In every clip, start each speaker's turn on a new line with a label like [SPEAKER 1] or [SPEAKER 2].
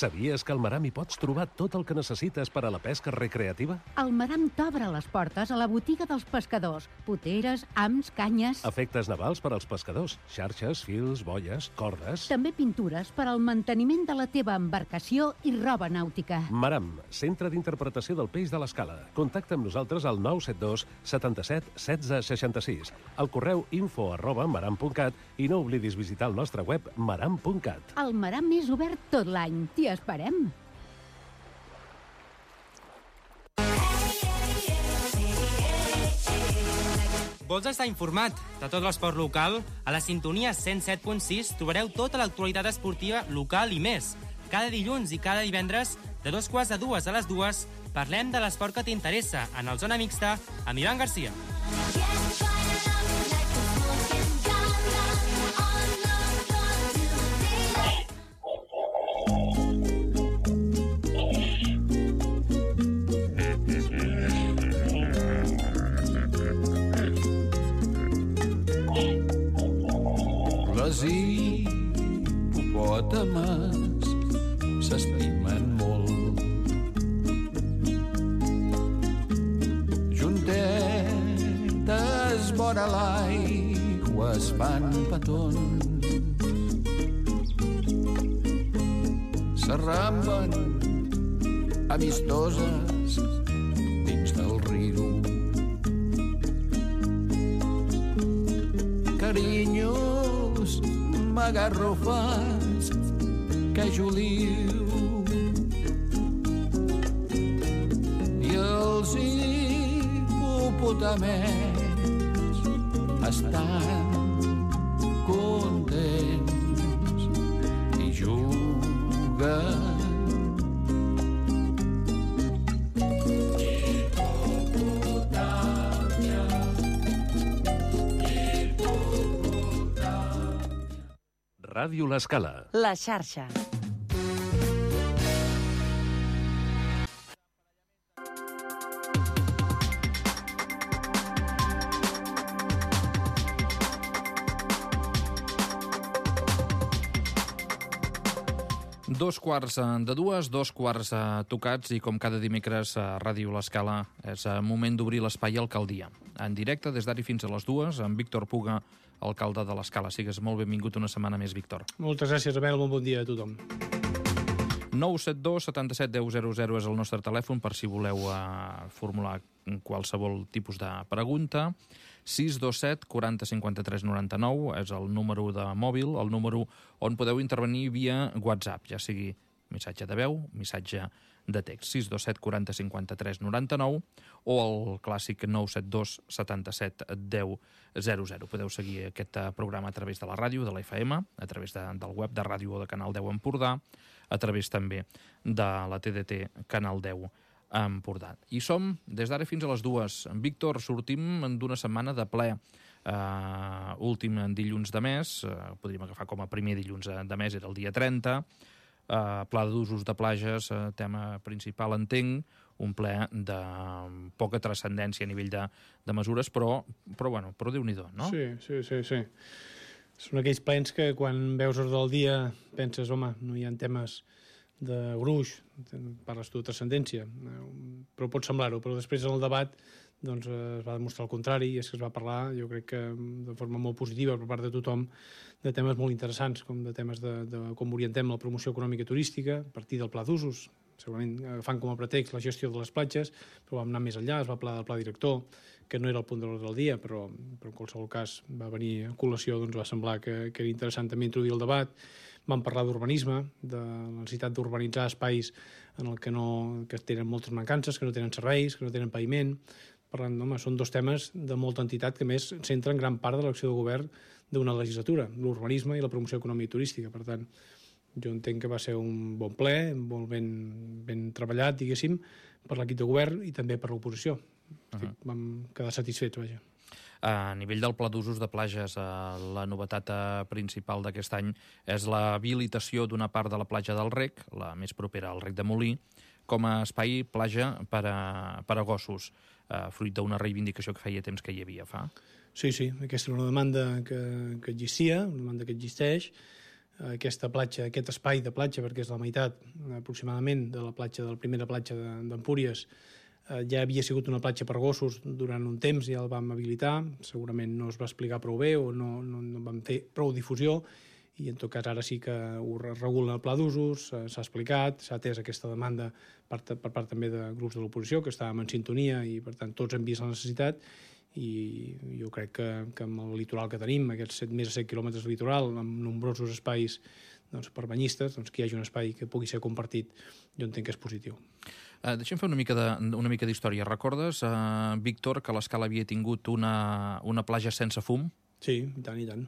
[SPEAKER 1] Sabies que al Maram hi pots trobar tot el que necessites per a la pesca recreativa?
[SPEAKER 2] El Maram t'obre les portes a la botiga dels pescadors. Poteres, hams, canyes...
[SPEAKER 1] Efectes navals per als pescadors. Xarxes, fils, boies, cordes...
[SPEAKER 2] També pintures per al manteniment de la teva embarcació i roba nàutica.
[SPEAKER 1] Maram, centre d'interpretació del peix de l'Escala. Contacta amb nosaltres al 972 77 16 66, al correu info@maram.cat i no oblidis visitar el nostre web maram.cat.
[SPEAKER 2] El Maram és obert tot l'any. T'hi esperem.
[SPEAKER 3] Vols estar informat de tot l'esport local? A la sintonia 107.6 trobareu tota l'actualitat esportiva local i més. Cada dilluns i cada divendres, de 1:45 a 2, parlem de l'esport que t'interessa en el Zona Mixta amb Ivan Garcia.
[SPEAKER 4] Les hipopòtames s'estimen molt. Juntetes vora l'aigua es fan petons. S'arramben amistoses dins del riu. Carinyos magarrofats que Juliu i els hipopotamets estan contents i juguen.
[SPEAKER 1] Ràdio L'Escala.
[SPEAKER 5] La xarxa.
[SPEAKER 6] Dos quarts de dues, dos quarts tocats, i com cada dimecres a Ràdio L'Escala és moment d'obrir l'espai Alcaldia. En directe des d'ara fins a les 2, amb Víctor Puga, alcalde de l'Escala. Sigues molt benvingut una setmana més, Víctor.
[SPEAKER 7] Moltes gràcies, Abel. Molt bon dia a tothom.
[SPEAKER 6] 972 77 10 00 és el nostre telèfon per si voleu formular qualsevol tipus de pregunta. 627 40 53 99 és el número de mòbil, el número on podeu intervenir via WhatsApp, ja sigui missatge de veu, missatge de text. 627 40 53 99 o el clàssic 972 77 10 00. Podeu seguir aquest programa a través de la ràdio, de la FM, a través del web de ràdio o de Canal 10 Empordà, a través també de la TDT Canal 10 Empordà. I som des d'ara fins a les 2. Víctor, sortim d'una setmana de ple. Últim dilluns de mes, podríem agafar com a primer dilluns de mes, era el dia 30. Pla d'usos de plages, tema principal, entenc, un ple de poca transcendència a nivell de mesures, però Déu-n'hi-do, no?
[SPEAKER 7] Sí. Són aquells plens que quan veus ordre del dia penses, home, no hi ha temes de gruix, parles tu de transcendència, però pot semblar-ho, però després en el debat doncs, es va demostrar el contrari, i és que es va parlar, jo crec que de forma molt positiva per part de tothom, de temes molt interessants, com de temes de com orientem la promoció econòmica i turística a partir del pla d'usos, segurament agafant com a pretext la gestió de les platges, però vam anar més enllà, es va parlar del pla director, que no era el punt de l'ordre del dia, però en qualsevol cas va venir a col·lació, doncs va semblar que era interessant també introduir el debat. Vam parlar d'urbanisme, de la necessitat d'urbanitzar espais en el que tenen moltes mancances, que no tenen serveis, que no tenen paviment. Parlant, home, són dos temes de molta entitat que més centren gran part de l'acció de govern d'una legislatura, l'urbanisme i la promoció econòmica i turística. Per tant, jo entenc que va ser un bon ple, molt ben treballat, diguéssim, per l'equip de govern i també per l'oposició. Vam quedar satisfets, vaja.
[SPEAKER 6] A nivell del pla d'usos de plages, la novetat principal d'aquest any és l'habilitació d'una part de la platja del Rec, la més propera al Rec de Molí, com a espai platja per a gossos, fruit d'una reivindicació que feia temps que hi havia, fa.
[SPEAKER 7] Sí, aquesta era una demanda que existia, una demanda que existeix. aquesta platja, aquest espai de platja, perquè és la meitat aproximadament de la primera platja d'Empúries, ja havia sigut una platja per gossos durant un temps, ja el vam habilitar, segurament no es va explicar prou bé o no vam fer prou difusió, i en tot cas ara sí que ho regula el pla d'usos, s'ha explicat, s'ha atès aquesta demanda per part també de grups de l'oposició, que estàvem en sintonia i per tant tots hem vist la necessitat, i jo crec que amb el litoral que tenim, aquests més de 7 quilòmetres de litoral, amb nombrosos espais per banyistes, que hi hagi un espai que pugui ser compartit, jo entenc que és positiu.
[SPEAKER 6] Deixem fer una mica d'història. Recordes, Víctor, que l'Escala havia tingut una platja sense fum?
[SPEAKER 7] Sí, i tant, i tant.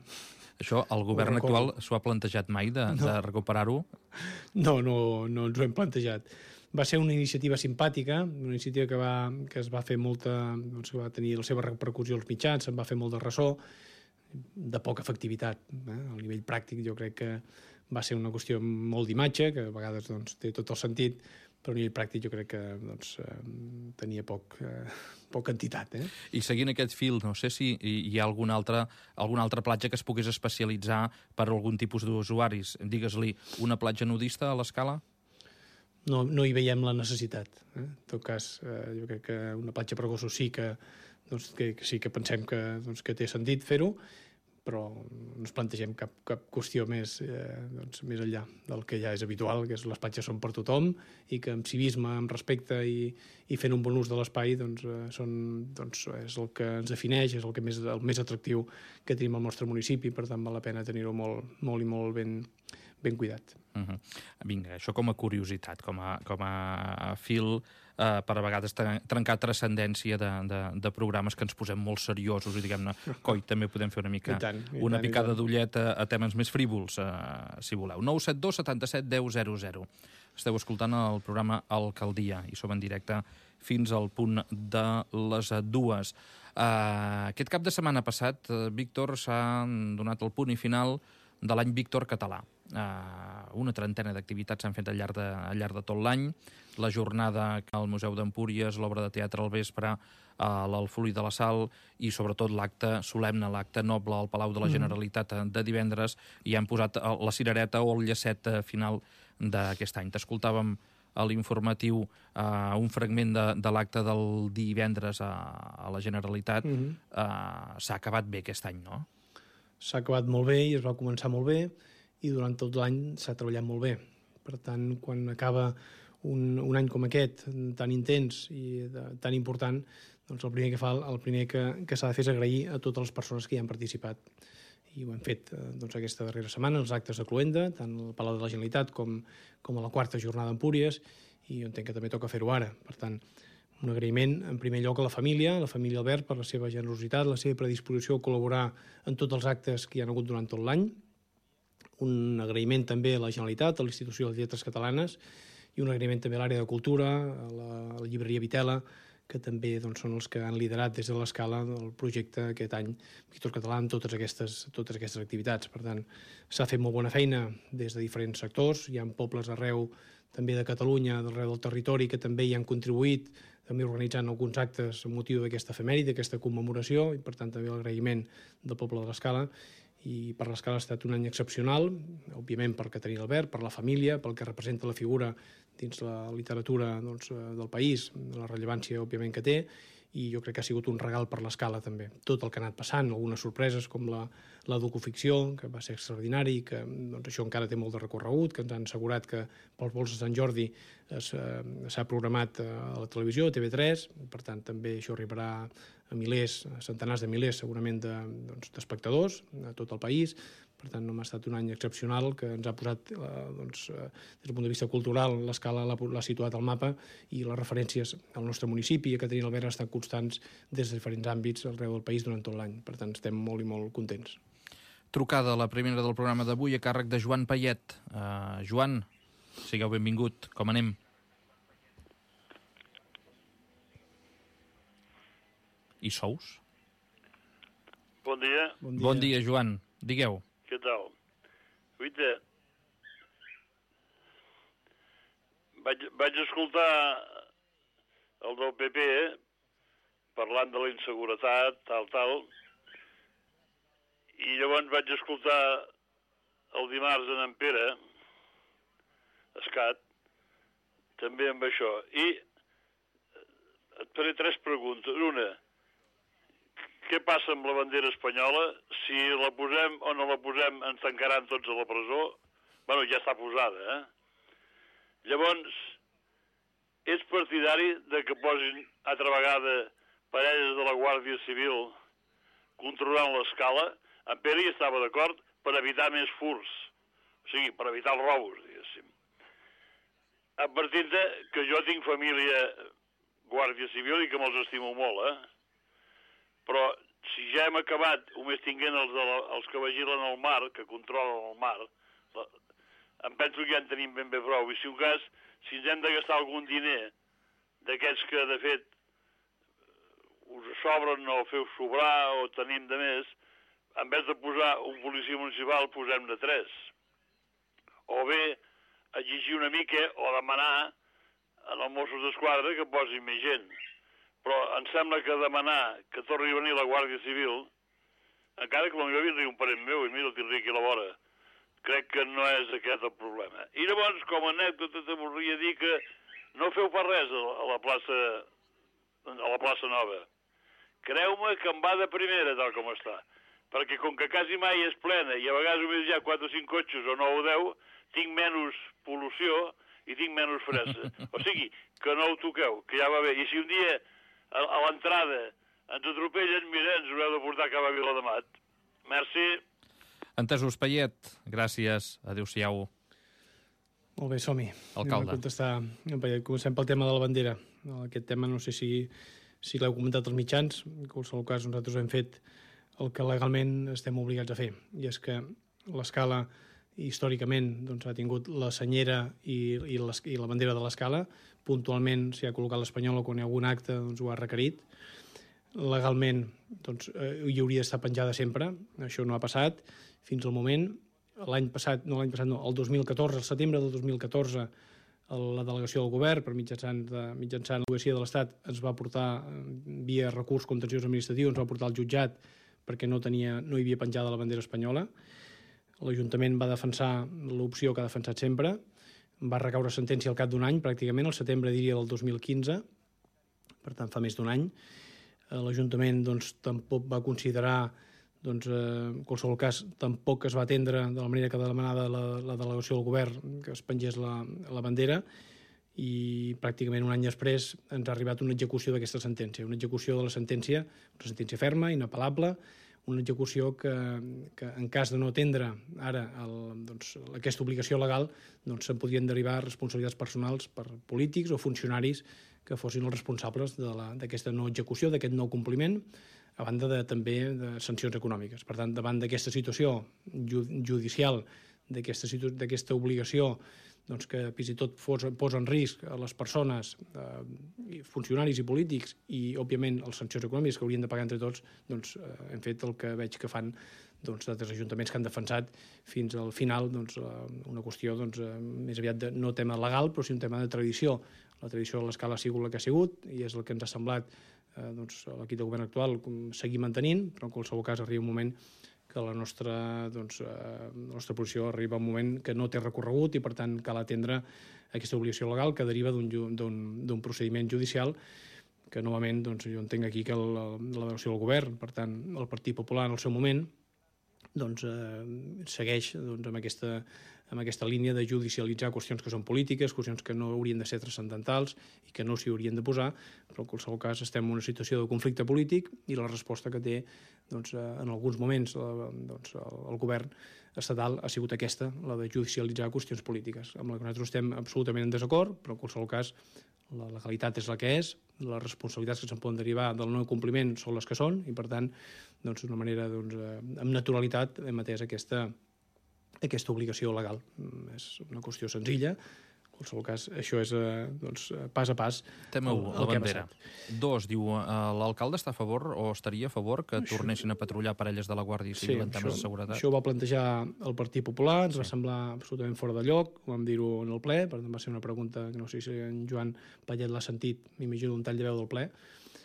[SPEAKER 6] Això, el govern actual s'ho ha plantejat mai, de recuperar-ho?
[SPEAKER 7] No ens ho hem plantejat. Va ser una iniciativa simpàtica, una iniciativa que es va fer molta, que va tenir la seva repercussió als mitjans, se'n va fer molt de ressò, de poca efectivitat. Al nivell pràctic jo crec que va ser una qüestió molt d'imatge, que a vegades té tot el sentit, però a nivell pràctic jo crec que tenia poca entitat.
[SPEAKER 6] I seguint aquest fil, no sé si hi ha alguna altra platja que es pogués especialitzar per a algun tipus d'usuaris. Digues-li, una platja nudista a l'Escala?
[SPEAKER 7] No hi veiem la necessitat. En tot cas, jo crec que una platja per gossos sí que sí que pensem que té sentit fer-ho, però no ens plantegem cap qüestió més enllà del que ja és habitual, que les platges són per tothom i que amb civisme, amb respecte i fent un bon ús de l'espai és el que ens defineix, és el més atractiu que tenim al nostre municipi, per tant val la pena tenir-ho molt i molt ben cuidat.
[SPEAKER 6] Vinga, això com a curiositat, com a fil per a vegades trencar transcendència de programes que ens posem molt seriosos i diguem-ne, coi, també podem fer una picada d'ullet a temes més frívols, si voleu. 972 77 10 00. Esteu escoltant el programa Alcaldia i som en directe fins al punt de les 2. Aquest cap de setmana passat, Víctor, s'ha donat el punt i final de l'any Víctor català. Una trentena d'activitats s'han fet al llarg de tot l'any. La jornada al Museu d'Empúries, l'obra de teatre al vespre, l'Alfolí de la Sal i sobretot l'acte solemne, l'acte noble al Palau de la Generalitat de divendres, i han posat la cirereta o el llacet final d'aquest any. T'escoltàvem a l'informatiu un fragment de l'acte del divendres a la Generalitat. S'ha acabat bé aquest any, no?
[SPEAKER 7] S'ha acabat molt bé i es va començar molt bé i durant tot l'any s'ha treballat molt bé. Per tant, quan acaba un any com aquest, tan intens i tan important, doncs el primer que s'ha de fer és agrair a totes les persones que hi han participat. I ho hem fet aquesta darrera setmana, els actes de Cloenda, tant al Palau de la Generalitat com a la 4ª jornada d'Empúries, i jo entenc que també toca fer-ho ara. Per tant, un agraïment, en primer lloc, a la família Albert, per la seva generositat, la seva predisposició a col·laborar en tots els actes que hi ha hagut durant tot l'any. Un agraïment també a la Generalitat, a l'Institució de Lletres Catalanes, i un agraïment també a l'àrea de cultura, a la llibreria Vitela, que també són els que han liderat des de l'Escala el projecte aquest any Víctor Català amb totes aquestes activitats. Per tant, s'ha fet molt bona feina des de diferents sectors. Hi ha pobles arreu també de Catalunya, d'arreu del territori, que també hi han contribuït, també organitzant alguns actes amb motiu d'aquesta efemèride, d'aquesta commemoració, i per tant també l'agraïment del poble de l'Escala. I per l'Escala ha estat un any excepcional, òbviament per Caterina Albert, per la família, pel que representa la figura dins la literatura del país, la rellevància òbviament que té, i jo crec que ha sigut un regal per l'Escala també. Tot el que ha anat passant, algunes sorpreses com la docuficció, que va ser extraordinari, que això encara té molt de recorregut, que ens han assegurat que pels vols de Sant Jordi s'ha programat a la televisió, a TV3, per tant també això arribarà a milers, a centenars de milers segurament d'espectadors a tot el país. Per tant, ha estat un any excepcional que ens ha posat, des del punt de vista cultural, l'Escala l'ha situat al mapa i les referències al nostre municipi i a Caterina Albert han estat constants des de diferents àmbits arreu del país durant tot l'any. Per tant, estem molt i molt contents.
[SPEAKER 6] Trucada, la primera del programa d'avui, a càrrec de Joan Payet. Joan, sigueu benvingut. Com anem? I sous?
[SPEAKER 5] Bon dia.
[SPEAKER 6] Bon dia, Joan. Digueu.
[SPEAKER 5] Què tal? Guita, vaig escoltar el del PP parlant de la inseguretat, tal, i llavors vaig escoltar el dimarts en Pere Escat, també amb això. I et faré 3 preguntes. Una, què passa amb la bandera espanyola? Si la posem o no la posem, ens tancaran tots a la presó? Bueno, ja està posada, Llavors, és partidari de que posin altra vegada parelles de la Guàrdia Civil controlant l'escala? En Pere hi estava d'acord per evitar més furs, o sigui, per evitar els robos, diguéssim. Advertint que jo tinc família Guàrdia Civil i que me'ls estimo molt, Però si ja hem acabat només tinguent els que vigilen el mar, que controlen el mar, em penso que ja en tenim ben bé prou. I si un cas, si ens hem de gastar algun diner d'aquests que, de fet, us sobren o feu sobrar o tenim de més, en vez de posar un policia municipal, posem-ne 3. O bé, exigir una mica o demanar als Mossos d'Esquadra que posin més gent. Però em sembla que demanar que torni a venir la Guàrdia Civil, encara que potser vindria un parent meu i mira, el tindria aquí a la vora, crec que no és aquest el problema. I llavors, com a anècdota, te voldria dir que no feu pas res a la plaça Nova. Creu-me que em va de primera, tal com està. Perquè com que quasi mai és plena i a vegades només hi ha 4 o 5 cotxes o 9 o 10, tinc menys pol·lució i tinc menys fressa. O sigui, que no ho toqueu, que ja va bé. I si un dia a l'entrada ens atropellen, mira, ens haureu de portar cap a Vilademat. Merci.
[SPEAKER 6] Entesos, Payet. Gràcies. Adéu-siau.
[SPEAKER 7] Molt bé, som-hi.
[SPEAKER 6] Alcalde.
[SPEAKER 7] Anem a contestar en Payet. Comencem pel tema de la bandera. Aquest tema no sé si l'heu comentat als mitjans. En qualsevol cas, nosaltres hem fet el que legalment estem obligats a fer. I és que l'escala, històricament, doncs, ha tingut la senyera i la bandera de l'escala. Puntualment s'hi ha col·locat l'espanyola quan hi ha algun acte, doncs, ho ha requerit. Legalment, doncs, hi hauria d'estar penjada sempre. Això no ha passat fins al moment. El 2014, al setembre del 2014, la delegació del govern, mitjançant l'advocacia de l'Estat, ens va portar, via recurs contenciós administratiu, ens va portar al jutjat perquè no hi havia penjada la bandera espanyola. L'Ajuntament va defensar l'opció que ha defensat sempre. Va recaure sentència al cap d'un any, pràcticament, al setembre, diria, del 2015. Per tant, fa més d'un any. L'Ajuntament, doncs, tampoc va considerar, doncs, en qualsevol cas, tampoc es va atendre de la manera que demanava la delegació del govern que es pengés la bandera, i pràcticament un any després ens ha arribat una execució d'aquesta sentència. Una execució de la sentència, una sentència ferma, inapel·lable, una execució que en cas de no atendre ara aquesta obligació legal, doncs se'n podrien derivar responsabilitats personals per polítics o funcionaris que fossin els responsables d'aquesta no execució, d'aquest no compliment, a banda també de sancions econòmiques. Per tant, davant d'aquesta situació judicial, d'aquesta obligació, doncs, que fins i tot posa en risc a les persones, funcionaris i polítics, i, òbviament, les sancions econòmiques que haurien de pagar entre tots, doncs, hem fet el que veig que fan d'altres ajuntaments que han defensat fins al final una qüestió més aviat no tema legal, però sí un tema de tradició. La tradició de l'escala ha sigut la que ha sigut i és el que ens ha semblat l'equip de govern actual seguir mantenint, però en qualsevol cas arriba un moment que la nostra posició arriba a un moment que no té recorregut i, per tant, cal atendre aquesta obligació legal que deriva d'un procediment judicial que, novament, jo entenc aquí que la delegació del govern, per tant, el Partit Popular en el seu moment, segueix amb aquesta línia de judicialitzar qüestions que són polítiques, qüestions que no haurien de ser transcendentals i que no s'hi haurien de posar, però en qualsevol cas estem en una situació de conflicte polític i la resposta que té en alguns moments el govern estatal ha sigut aquesta, la de judicialitzar qüestions polítiques, amb la que nosaltres estem absolutament en desacord, però en qualsevol cas la legalitat és la que és, les responsabilitats que se'n poden derivar del no compliment són les que són i, per tant, d'una manera amb naturalitat hem atès aquesta obligació legal. És una qüestió senzilla. En qualsevol cas, això és pas a pas
[SPEAKER 6] Tema 1, la bandera. 2, diu, l'alcalde està a favor o estaria a favor que tornessin a patrullar parelles de la Guàrdia Civil en temes de seguretat?
[SPEAKER 7] Això ho va plantejar el Partit Popular, ens va semblar absolutament fora de lloc, ho vam dir-ho en el ple, per tant va ser una pregunta que no sé si en Joan Payet l'ha sentit, m'imagino un tall de veu del ple,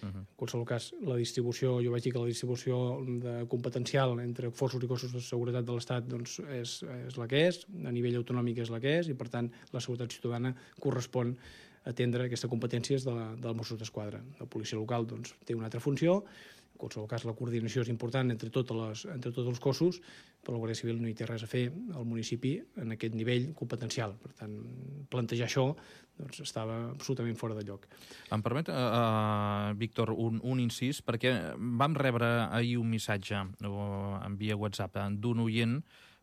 [SPEAKER 7] En qualsevol cas, la distribució, jo vaig dir que la distribució competencial entre forços i cossos de seguretat de l'Estat doncs, és la que és, a nivell autonòmic és la que és, i per tant la seguretat ciutadana correspon atendre aquesta competència del Mossos d'Esquadra. La policia local doncs, té una altra funció. En qualsevol cas, la coordinació és important entre tots els cossos, però la Guàrdia Civil no hi té res a fer al municipi en aquest nivell competencial. Per tant, plantejar això doncs, estava absolutament fora de lloc.
[SPEAKER 6] Em permet, Víctor, un incís, perquè vam rebre ahir un missatge en via WhatsApp d'un oient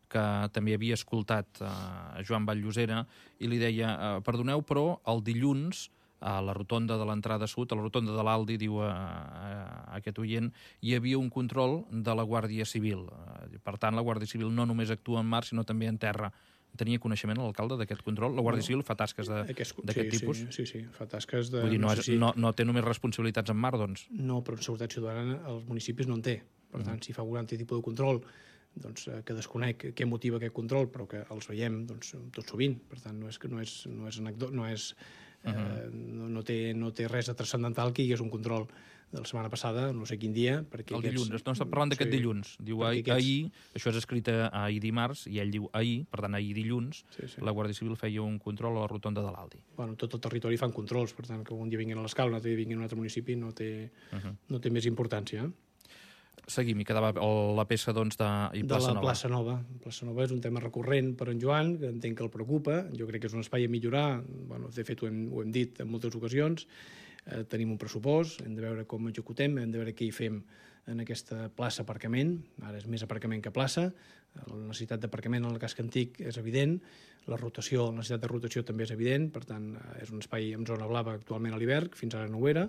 [SPEAKER 6] que també havia escoltat Joan Vall-Llosera i li deia, perdoneu, però el dilluns a la rotonda de l'entrada sud, a la rotonda de l'Aldi, diu aquest oient, hi havia un control de la Guàrdia Civil. Per tant, la Guàrdia Civil no només actua en mar, sinó també en terra. Tenia coneixement l'alcalde d'aquest control? La Guàrdia Civil fa tasques d'aquest tipus?
[SPEAKER 7] Sí, fa tasques de...
[SPEAKER 6] Vull dir, no té només responsabilitats en mar, doncs?
[SPEAKER 7] No, però en seguretat ciutadana els municipis no en té. Per tant, si fa algun altre tipus de control doncs, que desconec què motiva aquest control, però que els veiem doncs, tot sovint. Per tant, no té res de transcendental que hi hagués un control de la setmana passada, no sé quin dia...
[SPEAKER 6] El dilluns, no està parlant d'aquest dilluns. Diu ahir, això és escrit ahir dimarts, i ell diu ahir, per tant ahir dilluns, la Guàrdia Civil feia un control a la rotonda de l'Aldi.
[SPEAKER 7] Bueno, tot el territori fan controls, per tant, que un dia vinguin a l'Escala, un altre dia vinguin a un altre municipi, no té més importància.
[SPEAKER 6] Seguim, i quedava la peça doncs, de
[SPEAKER 7] Plaça Nova. Plaça Nova. Plaça Nova és un tema recurrent per en Joan, que entenc que el preocupa. Jo crec que és un espai a millorar. Bueno, de fet, ho hem dit en moltes ocasions. Tenim un pressupost, hem de veure com executem, hem de veure què hi fem en aquesta plaça aparcament. Ara és més aparcament que plaça. La necessitat d'aparcament en el casc antic és evident. La necessitat de rotació també és evident. Per tant, és un espai amb zona blava actualment a l'hivern, fins ara no ho era,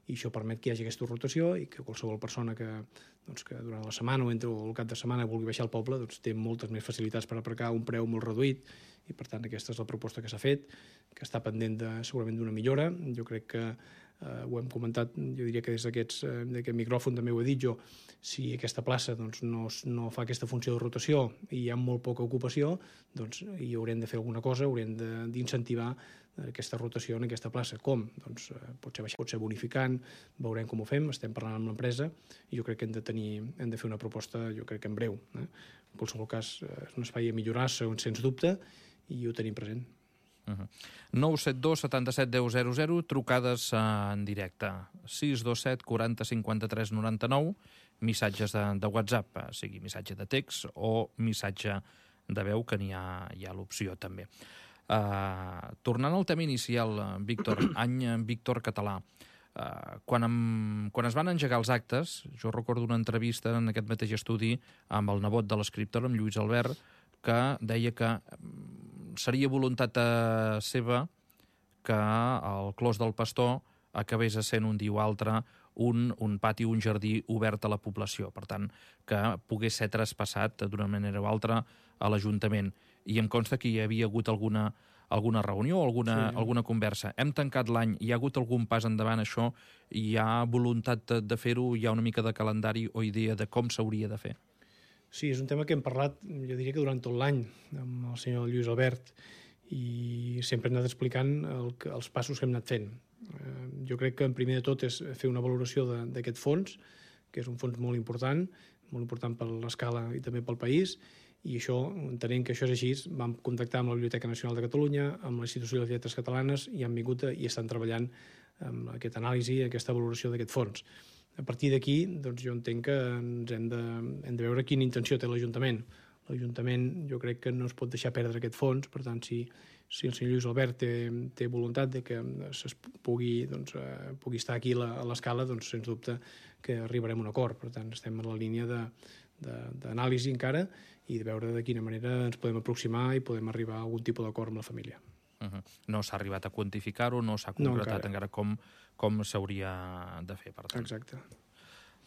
[SPEAKER 7] i això permet que hi hagi aquesta rotació i que qualsevol persona que durant la setmana o el cap de setmana vulgui baixar al poble doncs, té moltes més facilitats per aparcar a un preu molt reduït, i per tant aquesta és la proposta que s'ha fet, que està pendent segurament d'una millora. Jo crec que ho hem comentat, jo diria que des d'aquest micròfon també ho he dit jo, si aquesta plaça doncs, no fa aquesta funció de rotació i hi ha molt poca ocupació, doncs hi haurem de fer alguna cosa, haurem d'incentivar aquesta rotació en aquesta plaça. Com? Doncs pot ser bonificant, veurem com ho fem, estem parlant amb l'empresa i jo crec que hem de fer una proposta, jo crec que en breu. En qualsevol cas, és un espai a millorar, sens dubte, i ho tenim present.
[SPEAKER 6] 972 77 10 00, trucades en directe. 627 40 53 99, missatges de WhatsApp, sigui missatge de text o missatge de veu, que n'hi ha l'opció també. Tornant al tema inicial, Víctor, any Víctor Català, quan es van engegar els actes, jo recordo una entrevista en aquest mateix estudi amb el nebot de l'escriptor, amb Lluís Albert, que deia que seria voluntat seva que el Clos del Pastor acabés essent un dia o altre un pati, un jardí obert a la població. Per tant, que pogués ser traspassat d'una manera o altra a l'Ajuntament. I em consta que hi havia hagut alguna reunió o alguna conversa. Hem tancat l'any, hi ha hagut algun pas endavant això? Hi ha voluntat de fer-ho? Hi ha una mica de calendari o idea de com s'hauria de fer?
[SPEAKER 7] Sí, és un tema que hem parlat, jo diria que durant tot l'any, amb el senyor Lluís Albert, i sempre hem anat explicant els passos que hem anat fent. Jo crec que, en primer de tot, és fer una valoració d'aquest fons, que és un fons molt important per l'escala i també pel país, i això, entenent que això és així, vam contactar amb la Biblioteca Nacional de Catalunya, amb l'Institució de les Lletres Catalanes, i han vingut i estan treballant amb aquesta anàlisi, aquesta valoració d'aquest fons. A partir d'aquí, doncs jo entenc que hem de veure quina intenció té l'Ajuntament. L'Ajuntament jo crec que no es pot deixar perdre aquest fons, per tant, si el senyor Lluís Albert té voluntat de que pugui estar aquí a l'escala, doncs sens dubte que arribarem a un acord. Per tant, estem en la línia d'anàlisi encara i de veure de quina manera ens podem aproximar i podem arribar a algun tipus d'acord amb la família.
[SPEAKER 6] No s'ha arribat a quantificar-ho, no s'ha concretat encara com s'hauria de fer, per tant.
[SPEAKER 7] Exacte.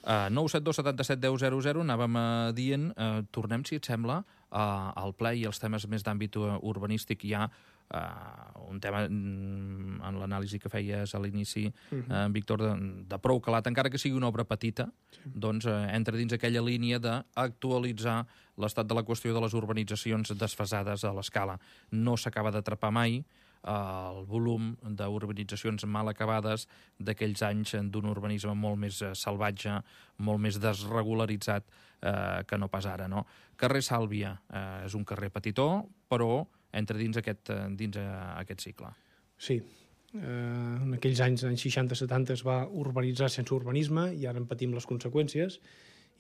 [SPEAKER 6] 972 77 10 00, anàvem dient, tornem, si et sembla, al ple i els temes més d'àmbit urbanístic. Hi ha un tema en l'anàlisi que feies a l'inici, Víctor, de prou calat, encara que sigui una obra petita, doncs entra dins aquella línia d'actualitzar l'estat de la qüestió de les urbanitzacions desfasades a l'escala. No s'acaba d'atrapar mai, el volum d'urbanitzacions mal acabades d'aquells anys d'un urbanisme molt més salvatge, molt més desregularitzat que no pas ara, no? Carrer Sàlvia és un carrer petitó, però entra dins aquest cicle.
[SPEAKER 7] Sí. En aquells anys 60-70, es va urbanitzar sense urbanisme i ara en patim les conseqüències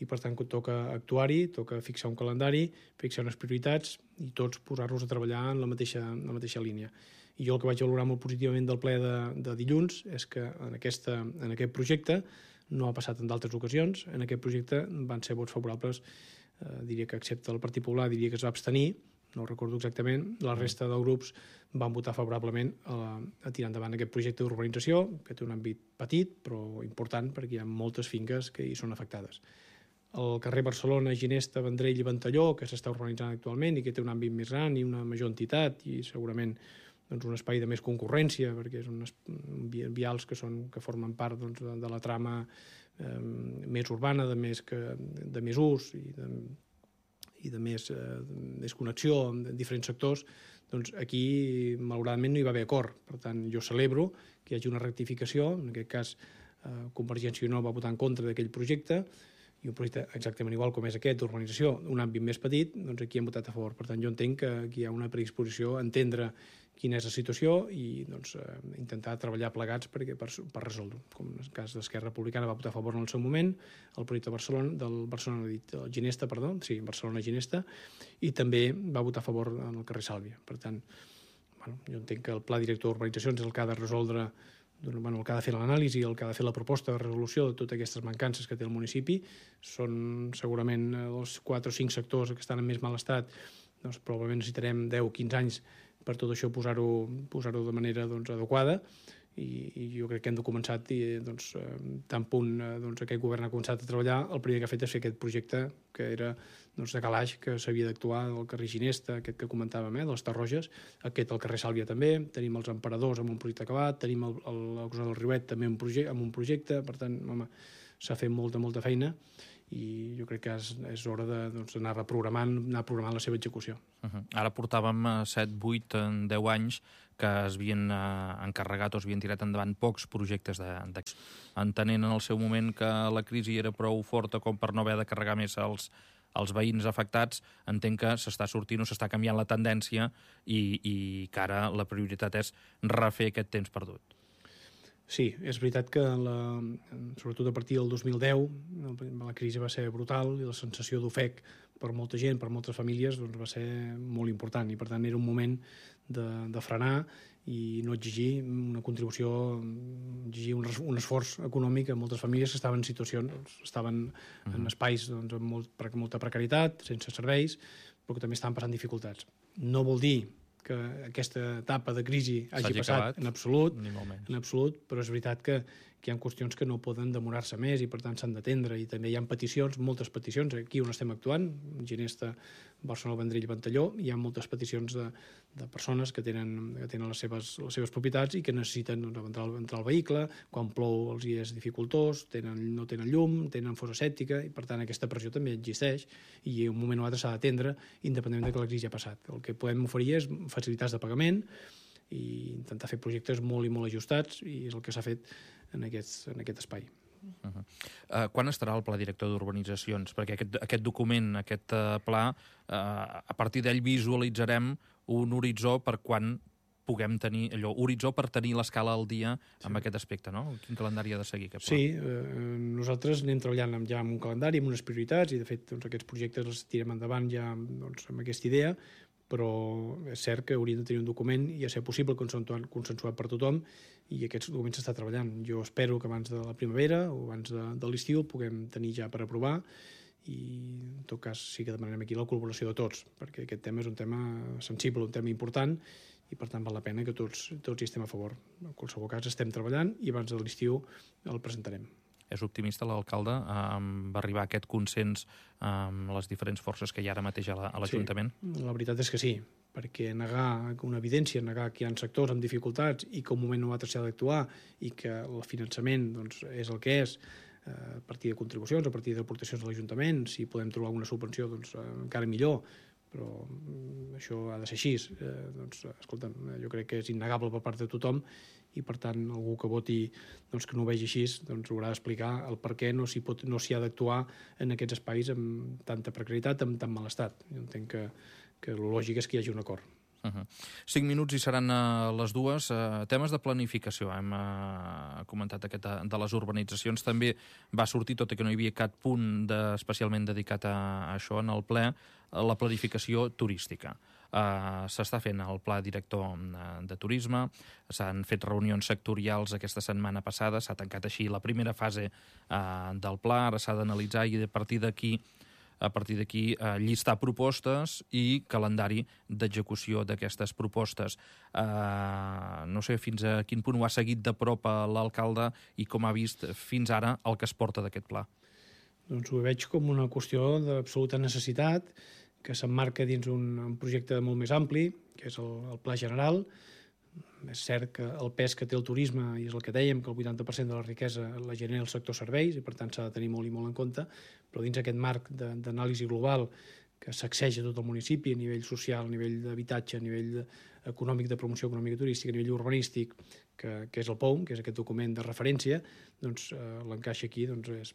[SPEAKER 7] i per tant toca actuar-hi, toca fixar un calendari, fixar unes prioritats i tots posar-nos a treballar en la mateixa línia. I jo el que vaig valorar molt positivament del ple de dilluns és que en aquest projecte no ha passat en d'altres ocasions, en aquest projecte van ser vots favorables, diria que excepte el Partit Popular, diria que es va abstenir, no ho recordo exactament, la resta de grups van votar favorablement a tirar endavant aquest projecte d'urbanització, que té un àmbit petit però important perquè hi ha moltes finques que hi són afectades. El carrer Barcelona, Ginesta, Vendrell i Ventalló, que s'està urbanitzant actualment i que té un àmbit més gran i una major entitat i segurament un espai de més concurrència, perquè són vials que formen part de la trama més urbana, de més ús i de més connexió amb diferents sectors, doncs aquí malauradament no hi va haver acord. Per tant, jo celebro que hi hagi una rectificació, en aquest cas Convergència i Unió va votar en contra d'aquell projecte, i un projecte exactament igual com és aquest, d'urbanització, un àmbit més petit, doncs aquí hem votat a favor. Per tant, jo entenc que aquí hi ha una predisposició a entendre quina és la situació i intentar treballar plegats per resoldre-ho. Com en el cas d'Esquerra Republicana va votar a favor en el seu moment, el projecte Barcelona-Ginesta, i també va votar a favor en el carrer Sàlvia. Per tant, jo entenc que el pla director d'urbanitzacions és el que ha de resoldre, el que ha de fer l'anàlisi, el que ha de fer la proposta de resolució de totes aquestes mancances que té el municipi. Són segurament els 4 o 5 sectors que estan en més mal estat, doncs probablement necessitarem 10 o 15 anys per tot això posar-ho de manera adequada, i jo crec que hem de començar tan punt aquest govern ha començat a treballar, el primer que ha fet és fer aquest projecte que era de calaix, que s'havia d'actuar del carrer Ginesta, aquest que comentàvem, de les Tarroges, aquest al carrer Sàlvia també, tenim els Emperadors amb un projecte acabat, tenim el Cruzat del Riuet també amb un projecte, per tant, s'ha fet molta feina i jo crec que és hora d'anar programant la seva execució.
[SPEAKER 6] Ara portàvem 7, 8, 10 anys que es havien encarregat o es havien tirat endavant pocs projectes d'aquests. Entenent en el seu moment que la crisi era prou forta com per no haver de carregar més els veïns afectats, entenc que s'està sortint o s'està canviant la tendència i que ara la prioritat és refer aquest temps perdut.
[SPEAKER 7] Sí, és veritat que sobretot a partir del 2010 la crisi va ser brutal i la sensació d'ofec per molta gent, per moltes famílies, va ser molt important i per tant era un moment de frenar i no exigir una contribució, exigir un esforç econòmic a moltes famílies que estaven en situacions, estaven en espais amb molta precarietat, sense serveis, però que també estaven passant dificultats. No vol dir que aquesta etapa de crisi hagi passat en absolut, però és veritat que hi ha qüestions que no poden demorar-se més i per tant s'han d'atendre, i també hi ha peticions, moltes peticions, aquí on estem actuant, Ginesta, Barcelona, Vendrell i Ventalló, hi ha moltes peticions de persones que tenen les seves propietats i que necessiten entrar al vehicle, quan plou els hi és dificultós, no tenen llum, tenen fossa sèptica, i per tant aquesta pressió també existeix i en un moment o altre s'ha d'atendre independentment que la crisi ha passat. El que podem oferir és facilitats de pagament i intentar fer projectes molt i molt ajustats, i és el que s'ha fet en aquest espai.
[SPEAKER 6] Quan estarà el pla director d'urbanitzacions? Perquè aquest document, aquest pla, a partir d'ell visualitzarem un horitzó per quan puguem tenir horitzó per tenir l'escala al dia amb aquest aspecte, no? Quin calendari ha de seguir aquest pla?
[SPEAKER 7] Sí, nosaltres anem treballant ja amb un calendari, amb unes prioritats, i de fet aquests projectes els tirem endavant ja amb aquesta idea, però és cert que hauríem de tenir un document i a ser possible consensuat per tothom, i aquests documents s'està treballant. Jo espero que abans de la primavera o abans de l'estiu el puguem tenir ja per aprovar, i en tot cas sí que demanarem aquí la col·laboració de tots, perquè aquest tema és un tema sensible, un tema important, i per tant val la pena que tots hi estem a favor. En qualsevol cas estem treballant i abans de l'estiu el presentarem.
[SPEAKER 6] És optimista l'alcalde amb arribar a aquest consens amb les diferents forces que hi ha ara mateix a l'Ajuntament?
[SPEAKER 7] Sí, la veritat és que sí, perquè negar una evidència, negar que hi ha sectors amb dificultats i que un moment o altre s'ha d'actuar i que el finançament és el que és, a partir de contribucions, a partir d'aportacions de l'Ajuntament, si podem trobar alguna subvenció encara millor, però això ha de ser així. Doncs, escolta'm, jo crec que és innegable per part de tothom i, per tant, algú que voti que no ho vegi així haurà d'explicar el per què no s'hi ha d'actuar en aquests espais amb tanta precarietat, amb tant mal estat. Jo entenc que el lògic és que hi hagi un acord.
[SPEAKER 6] 5 minuts i seran les 2. Temes de planificació. Hem comentat aquest de les urbanitzacions. També va sortir, tot i que no hi havia cap punt especialment dedicat a això en el ple, la planificació turística. S'està fent el pla director de turisme, s'han fet reunions sectorials aquesta setmana passada, s'ha tancat així la primera fase del pla, ara s'ha d'analitzar i a partir d'aquí llistar propostes i calendari d'execució d'aquestes propostes. No sé fins a quin punt ho ha seguit de prop l'alcalde i com ha vist fins ara el que es porta d'aquest pla.
[SPEAKER 7] Doncs ho veig com una qüestió d'absoluta necessitat, que s'emmarca dins un projecte molt més ampli, que és el Pla General. És cert que el pes que té el turisme, i és el que dèiem, que el 80% de la riquesa la genera el sector serveis, i per tant s'ha de tenir molt i molt en compte, però dins aquest marc d'anàlisi global que sacseja tot el municipi a nivell social, a nivell d'habitatge, a nivell econòmic, de promoció econòmica turística, a nivell urbanístic, que és el POUM, que és aquest document de referència, doncs l'encaixa aquí és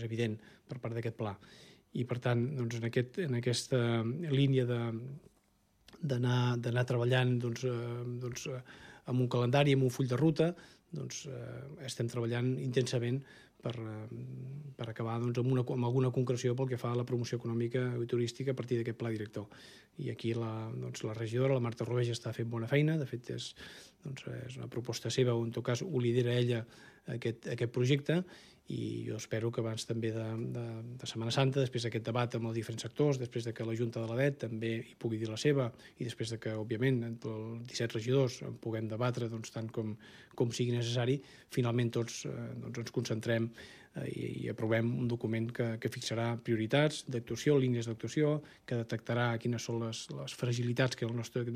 [SPEAKER 7] evident per part d'aquest pla. I, per tant, en aquesta línia d'anar treballant amb un calendari, amb un full de ruta, estem treballant intensament per acabar amb alguna concreció pel que fa a la promoció econòmica i turística a partir d'aquest pla director. I aquí la regidora, la Marta Rovell, està fent bona feina. De fet, és una proposta seva, o en tot cas ho lidera ella, aquest projecte, i jo espero que abans també de Setmana Santa, després d'aquest debat amb els diferents sectors, després de que la Junta de l'ADET també hi pugui dir la seva, i després de que, òbviament, entre els 17 regidors en puguem debatre tant com sigui necessari, finalment tots ens concentrem i aprovem un document que fixarà prioritats d'actuació, línies d'actuació, que detectarà quines són les fragilitats que té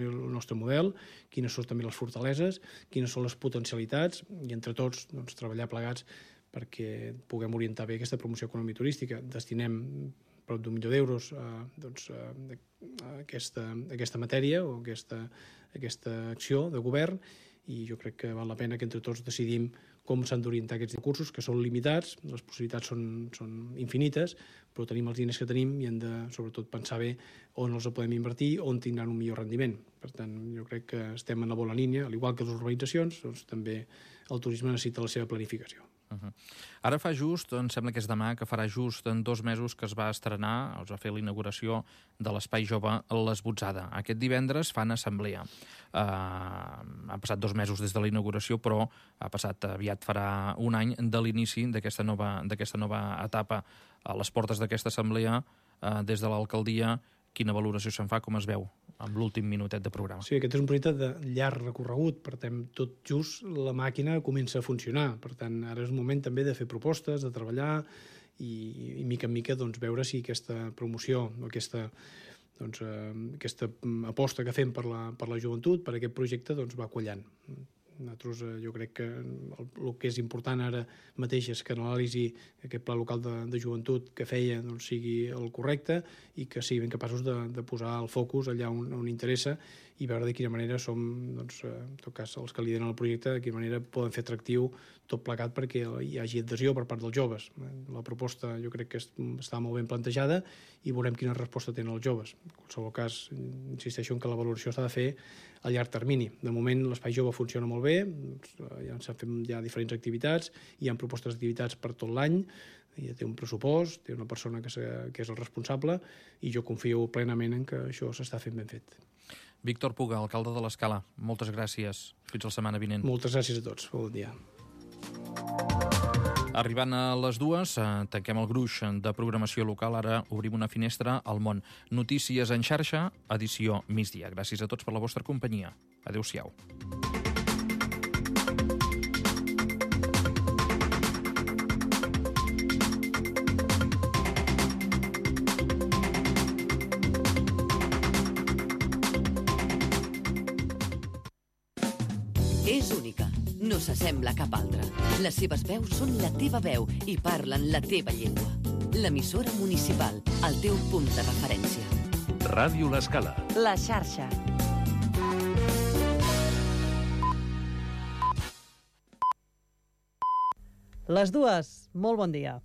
[SPEAKER 7] el nostre model, quines són també les fortaleses, quines són les potencialitats, i entre tots treballar plegats perquè puguem orientar bé aquesta promoció econòmica turística. Destinem prop d'1 milió d'euros a aquesta matèria o a aquesta acció de govern, i jo crec que val la pena que entre tots decidim com s'han d'orientar aquests recursos, que són limitats, les possibilitats són infinites, però tenim els diners que tenim i hem de, sobretot, pensar bé on els podem invertir, on tindran un millor rendiment. Per tant, jo crec que estem en la bona línia, al igual que les urbanitzacions, també el turisme necessita la seva planificació.
[SPEAKER 6] Ara fa just, em sembla que és demà, que farà just en 2 mesos que es va estrenar, es va fer la inauguració de l'Espai Jove l'Esbotzada. Aquest divendres fan assemblea. Han passat 2 mesos des de la inauguració, però aviat farà un any de l'inici d'aquesta nova etapa. A les portes d'aquesta assemblea, des de l'alcaldia, quina valoració se'n fa, com es veu, amb l'últim minutet de programa?
[SPEAKER 7] Sí, aquest és un projecte de llarg recorregut, per tant, tot just la màquina comença a funcionar. Per tant, ara és un moment també de fer propostes, de treballar i mica en mica veure si aquesta promoció o aquesta aposta que fem per la joventut, per aquest projecte, va quallant. Nosaltres, jo crec que el que és important ara mateix és que l'anàlisi, aquest pla local de joventut que feia, sigui el correcte i que siguin capaços de posar el focus allà on interessa i veure de quina manera som, en tot cas, els que lideren el projecte, de quina manera poden fer atractiu tot plegat perquè hi hagi adhesió per part dels joves. La proposta jo crec que està molt ben plantejada i veurem quina resposta tenen els joves. En qualsevol cas, insisteixo en que la valoració s'ha de fer a llarg termini. De moment l'Espai Jove funciona molt bé, s'han fet ja diferents activitats, hi ha propostes d'activitats per tot l'any, ja té un pressupost, té una persona que és el responsable i jo confio plenament en que això s'està fent ben fet.
[SPEAKER 6] Víctor Puga, alcalde de l'Escala, moltes gràcies. Fins la setmana vinent.
[SPEAKER 7] Moltes gràcies a tots. Bon dia.
[SPEAKER 6] Arribant a les 2, tanquem el gruix de programació local. Ara obrim una finestra al món. Notícies en xarxa, edició migdia. Gràcies a tots per la vostra companyia. Adéu-siau.
[SPEAKER 8] És única, no s'assembla a cap altra. Les seves veus són la teva veu i parlen la teva llengua. L'emissora municipal, el teu punt de referència.
[SPEAKER 1] Ràdio L'Escala.
[SPEAKER 9] La xarxa. Les dues, molt bon dia.